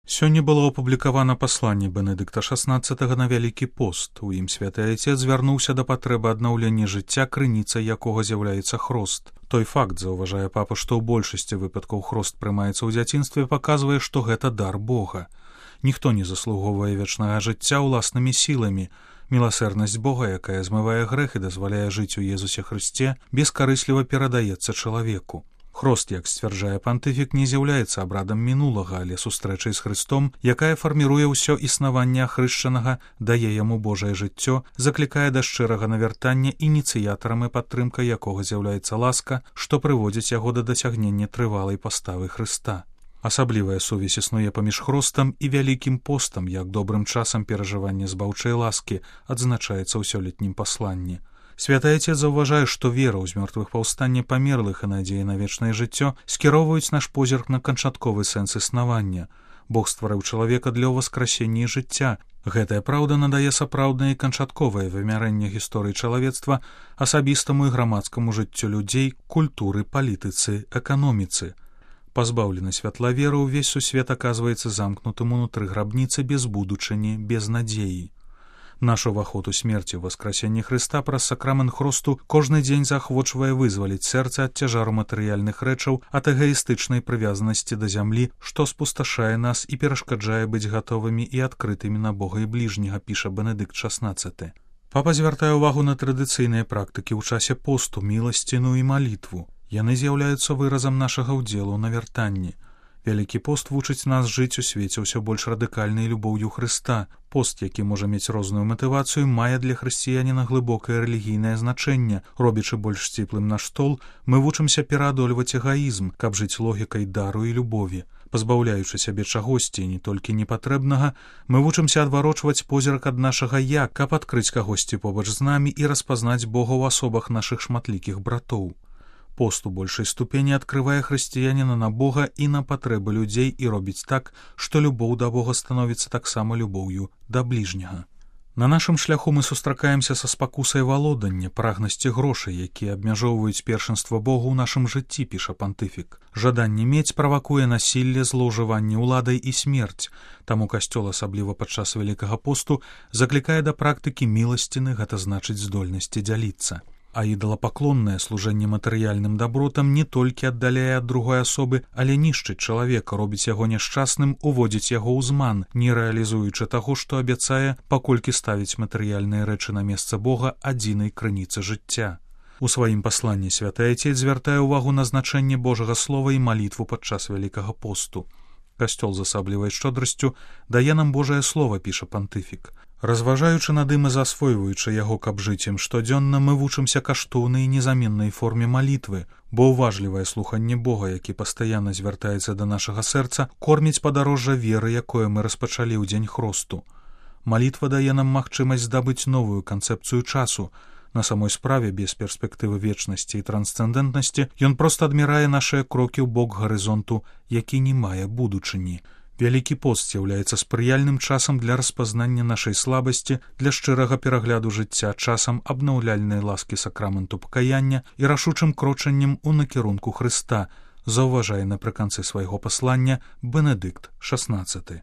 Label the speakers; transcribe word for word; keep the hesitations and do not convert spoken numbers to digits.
Speaker 1: Сёння было апублікавана пасланне Бенедыкта шаснаццатага на вялікі пост. У ім святы айцец звярнуўся да патрэбы аднаўлення жыцця, крыніцай якога з'яўляецца хрост. Той факт, заўважае папа, што ў большасці выпадкаў хрост прымаецца ў дзяцінстве, паказвае, што гэта дар Бога. Ніхто не заслугоўвае вечнага жыцця ўласнымі сіламі. Міласэрнасць Бога, якая змывае грэх і дазваляе жыць у Езусе Хрысце, бескарысліва перадаецца чалавеку. Хрост, як сцвярджае пантыфік, не з'яўляецца абрадам мінулага, але сустрэчай з Хрыстом, якая фарміруе ўсё існаванне ахрышчанага, дае яму Божае жыццё, заклікае да шчырага навяртання, ініцыятарам і падтрымкай якога з'яўляецца ласка, што прыводзіць яго да дасягнення трывалай паставы Хрыста. Асаблівая сувязь існуе паміж хростам і вялікім постам, як добрым часам перажывання збаўчай ласкі, адзначаецца ў сёлетнім пасланні. Святы айцец заўважае, што вера ў змёртвых паўстанне памерлых і надзея на вечнае жыццё скіроўваюць наш позірк на канчатковы сэнс існавання. Бог стварыў чалавека для ўваскрасення і жыцця. Гэтая праўда надае сапраўднае і канчатковае вымярэнне гісторыі чалавецтва асабістаму і грамадскаму жыццю людзей, культуры, палітыцы, эканоміцы. Пазбаўлены святла веры, увесь сусвет аказваецца замкнутым унутры грабніцы без будучыні, без надзеі. Наш уваход у смерці ў васкрасенні Хрыста праз сакрамент хросту кожны дзень заахвочвае вызваліць сэрца ад цяжару матэрыяльных рэчаў, ад эгаістычнай прывязанасці да зямлі, што спусташае нас і перашкаджае быць гатовымі і адкрытымі на Бога і бліжняга, піша Бенедыкт шаснаццаты. Папа звяртае ўвагу на традыцыйныя практыкі ў часе посту, міласціну і малітву. Яны з'яўляюцца выразам нашага ўдзелу ў навяртанні. Вялікі пост вучыць нас жыць у свеце ўсё больш радыкальнай любоўю Хрыста. Пост, які можа мець розную матывацыю, мае для хрысціяніна глыбокае рэлігійнае значэнне. Робячы больш сціплым наш стол, мы вучымся пераадольваць эгаізм, каб жыць логікай дару і любові. Пазбаўляючы сябе чагосьці, не толькі непатрэбнага, мы вучымся адварочваць позірк ад нашага «я», каб адкрыць кагосьці побач з намі і распазнаць Бога ў асобах нашых шматлікіх братоў. Пост у большай ступені адкрывае хрысціяніна на Бога і на патрэбы людзей і робіць так, што любоў да Бога становіцца таксама любоўю да бліжняга. На нашым шляху мы сустракаемся са спакусай валодання, прагнасці грошай, якія абмяжоўваюць першынства Богу ў нашым жыцці, піша пантыфік. Жаданне мець правакуе насілле, злоўжыванне ўладай і смерць. Таму касцёл, асабліва падчас вялікага посту, заклікае да практыкі міласціны, гэта значыць здольнасці дзяліцца. А ідалапаклоннае служэнне матэрыяльным дабротам не толькі аддаляе ад другой асобы, але нішчыць чалавека, робіць яго няшчасным, уводзіць яго ў зман, не рэалізуючы таго, што абяцае, паколькі ставіць матэрыяльныя рэчы на месца Бога адзінай крыніцы жыцця. У сваім пасланні святы айцец звяртае ўвагу на значэнне Божага слова і малітву падчас вялікага посту. Касцёл з асаблівай шчодрасцю дае нам Божае слова, піша пантыфік. Разважаючы над ім і засвойваючы яго, каб жыць ім штодзённа, мы вучымся каштоўнай і незаменнай форме малітвы, бо ўважлівае слуханне Бога, які пастаянна звяртаецца да нашага сэрца, корміць падарожжа веры, якое мы распачалі ў дзень хросту. Малітва дае нам магчымасць здабыць новую канцэпцыю часу. На самой справе, без перспектывы вечнасці і трансцэндэнтнасці, ён проста адмірае нашыя крокі ў бок гарызонту, які не мае будучыні. Вялікі пост з'яўляецца спрыяльным часам для распазнання нашай слабасці, для шчырага перагляду жыцця, часам абнаўляльнай ласкі сакраменту пакаяння і рашучым крочаннем у накірунку Хрыста, заўважае напрыканцы свайго паслання Бенедыкт шаснаццаты.